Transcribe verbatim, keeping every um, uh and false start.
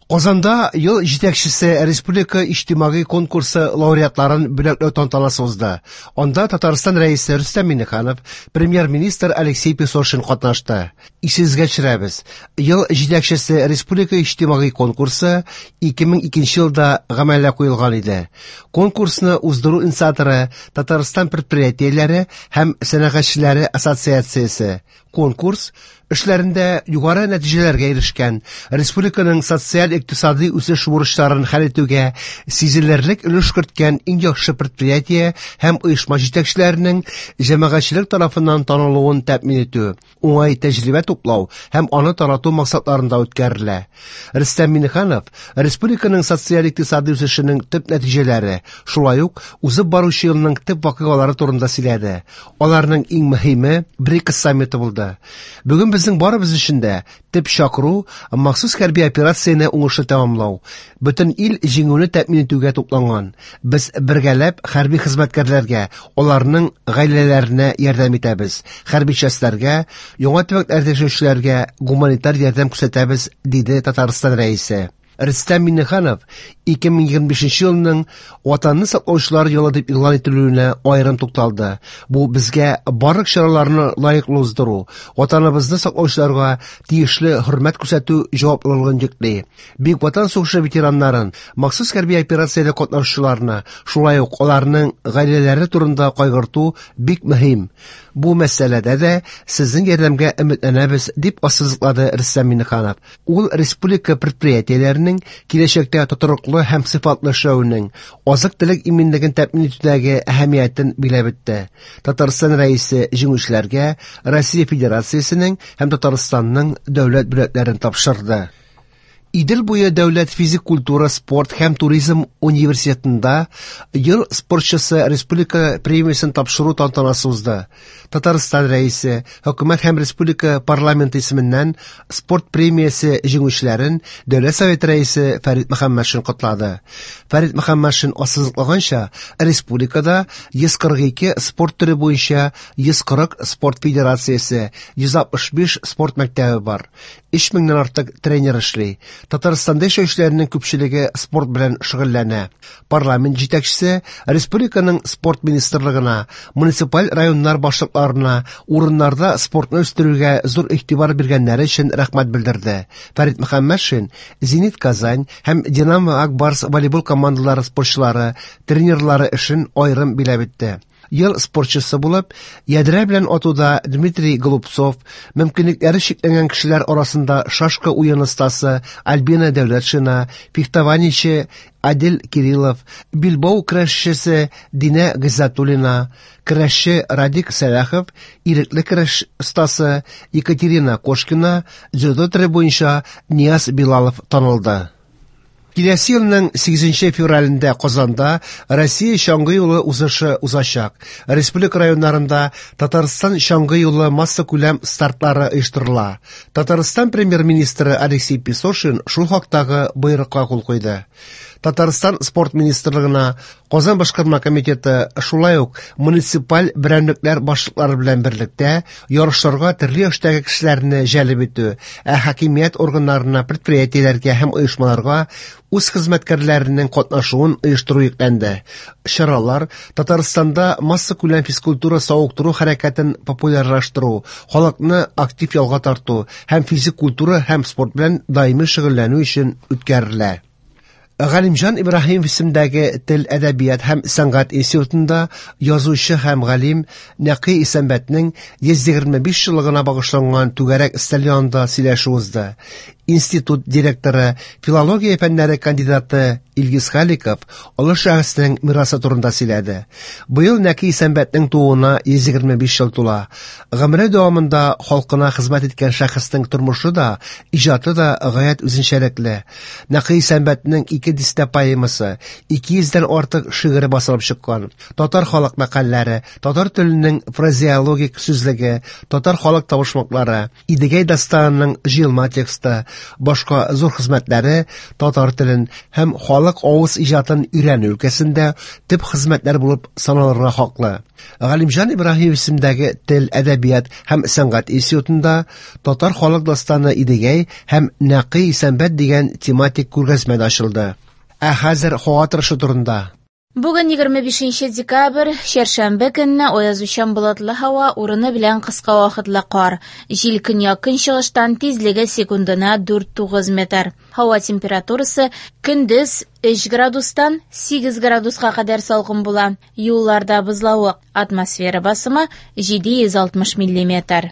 Казанда ел җитәкчесе республика иҗтимагый конкурсы лауреатларын бүләкләү тантанасы узды. Анда Татарстан Рәисе Рөстәм Миңнеханов, премьер-министр Алексей Песошин катнашты. Исегезгә төшерәбез, ел җитәкчесе республика иҗтимагый конкурсы ике мең икенче елда гамәлгә куелган иде. Конкурсны уздыру инициаторы Татарстан предприятиеләре һәм сәнәгатьчеләре ассоциациясе. Конкурс эшләрендә югары нәтиҗәләргә ирешкән, республиканың социаль-икътисади үсеш бурычларын хәл итүгә сизелерлек өлеш керткән иң яхшы предприятие һәм оешма җитәкчеләренең җәмәгатьчелек тарафыннан танылуын тәэмин итү, уңай тәҗрибә туплау һәм аны тарату максатларында үткәрелә. Рөстәм Миңнеханов республиканың социаль-икътисади үсешенең төп нәтиҗәләре, шулай ук узып баручы елның төп вакыйгалары турында сөйләде. Аларның иң мөһиме БРИКС саммиты булды. Бүген безнең барыбыз өчен дә төп чакыру махсус хәрби операцияне уңышлы тәмамлау. Бөтен ил җиңүне тәэмин итүгә тупланган. Без бергәләп хәрби хезмәткәрләргә, аларның гаиләләренә ярдәм итәбез. Хәрби частьләргә, яңа төбәкләрдә яшәүчеләргә гуманитар ярдәм күрсәтәбез, диде Татарстан Рәисе. Рөстәм Миңнеханов ике мең егерме бишенче елның Ватанны саклаучылар елы дип игълан ителүенә аерым тукталды. Бу безгә барлык чараларны лаеклы уздыру, Ватаныбызны саклаучыларга тиешле хөрмәт күрсәтү җаваплылыгын йөкли. Бөек Ватан сугышы ветераннарын, махсус хәрби операциядә катнашучыларны, шулай ук аларның гаиләләре турында кайгырту бик мөһим. Бу мәсьәләдә дә сезнең ярдәмгә өметләнәбез, дип ассызыклады Рөстәм Миңнеханов. Ул республика предприятиеләренең киләчәктә тотрыклы һәм сыйфатлы эшләвенең, азык-төлек иминлеген тәэмин итүдәге әһәмиятен билгеләп үтте. Татарстан Рәисе җиңүчеләргә Россия Федерациясенең һәм Татарстанның дәүләт бүләкләрен тапшырды. Идел буе дәүләт физик культура, спорт һәм туризм университетында ел спортчысы республика премиясен тапшыру тантанасы узды. Татарстан Рәисе, хөкүмәт һәм республика парламенты исеменнән спорт премиясе җиңүчеләрен Дәүләт Советы Рәисе Фәрит Мөхәммәтшин котлады. Фәрит Мөхәммәтшин ассызыклаганча, республикада йөз кырык ике спорт төре буенча йөз кырык спорт федерациясе, йөз алтмыш биш спорт мәктәбе бар. Өч меңнән артык тренер эшли. Татарстанда яшәүчеләрнең күпчелеге спорт белән шөгыльләнә. Парламент җитәкчесе республиканың спорт министрлыгына, муниципаль районнар башлыкларына урыннарда спортны үстерүгә зур игътибар биргәннәре өчен рәхмәт белдерде. Фәрит Мөхәммәтшин Зенит Казань һәм Динамо Ак Барс волейбол командалары спортчылары, тренерлары эшен аерым биләп үтте. Ел спортчысы булып, ядрә белән атуда Дмитрий Голубцов, мөмкинлекләре чикләнгән кешеләр арасында шашка уен остасы Альбина Дәүләтшина, фехтованиече Адил Кириллов, билбау көрәшчесе Динә Гыйззәтуллина, көрәшче Радик Сәлахов, ирекле көрәш остасы Екатерина Кошкина, дзюдо төре буенча Нияз Билалов танылды. Киләсе елның сигезенче февралендә Казанда Россия чаңгы юлы узышы узачак. Республика районнарында Татарстан чаңгы юлы массакүләм стартлары оештырыла. Татарстан премьер-министры Алексей Песошин шул хактагы боерыкка кул куйды. Татарстан спорт министрлыгына Казан башкарма комитеты шулай ук муниципаль берәмлекләр башлыклары белән берлектә ярышларга төрле яшьтәге кешеләрне җәлеп итү, ә хакимият органнарына, предприятиеләргә һәм оешмаларга үз хезмәткәрләренең катнашуын оештыру йөкләнде. Чаралар Татарстанда массакүләм физкультура савыктыру хәрәкәтен популярлаштыру, халыкны актив ялга тарту һәм физик культура һәм спорт белән даими шөгыльләнү өчен үткәрелә. Галимҗан Ибраһимов исемендәге Тел, әдәбият һәм сәнгать институтында язучы һәм галим Нәкый Исәнбәтнең йөз егерме биш еллыгына багышланган түгәрәк өстәл янында сөйләшү узды. Институт директоры, филология фәннәре кандидаты Илгиз Халиков олы шәхеснең мирасы турында сөйләде. Быел Нәкый Исәнбәтнең тууына йөз егерме биш ел тула. Гомере дәвамында халкына хезмәт иткән шәхеснең тормышы да, иҗаты да гаять үзенчәлекле. Нәкый Исәнбәтнең ике дистә поэмасы, ике йөздән артык шигыре басылып чыккан. Татар халык мәкальләре, татар теленең фразеологик сүзлеге, татар халык табышмаклары, Идегәй дастанының җыелма тексты, башка зур хезмәтләре татар телен һәм халык халык авыз иҗатын өйрәнү өлкәсендә төп хезмәтләр булып саналырга хаклы. Галимҗан Ибраһимов исемендәге Тел, әдәбият һәм сәнгать институтында Татар халык дастаны Идегәй һәм Нәкый Исәнбәт дигән тематик күргәзмә дә ачылды. Ә хәзер һава торышы турында. Бүген егерме бишенче декабрь, чәршәмбе көнне аязучан болытлы һава, урыны белән кыска вакытлы кар. Җил көньяк-көнчыгыштан, тизлеге секундына дүрт-тугыз метр. Һава температурасы көндез өч градустан сигез градуска кадәр салкын була. Юлларда бозлавык, атмосфера басымы җиде йөз алтмыш миллиметр.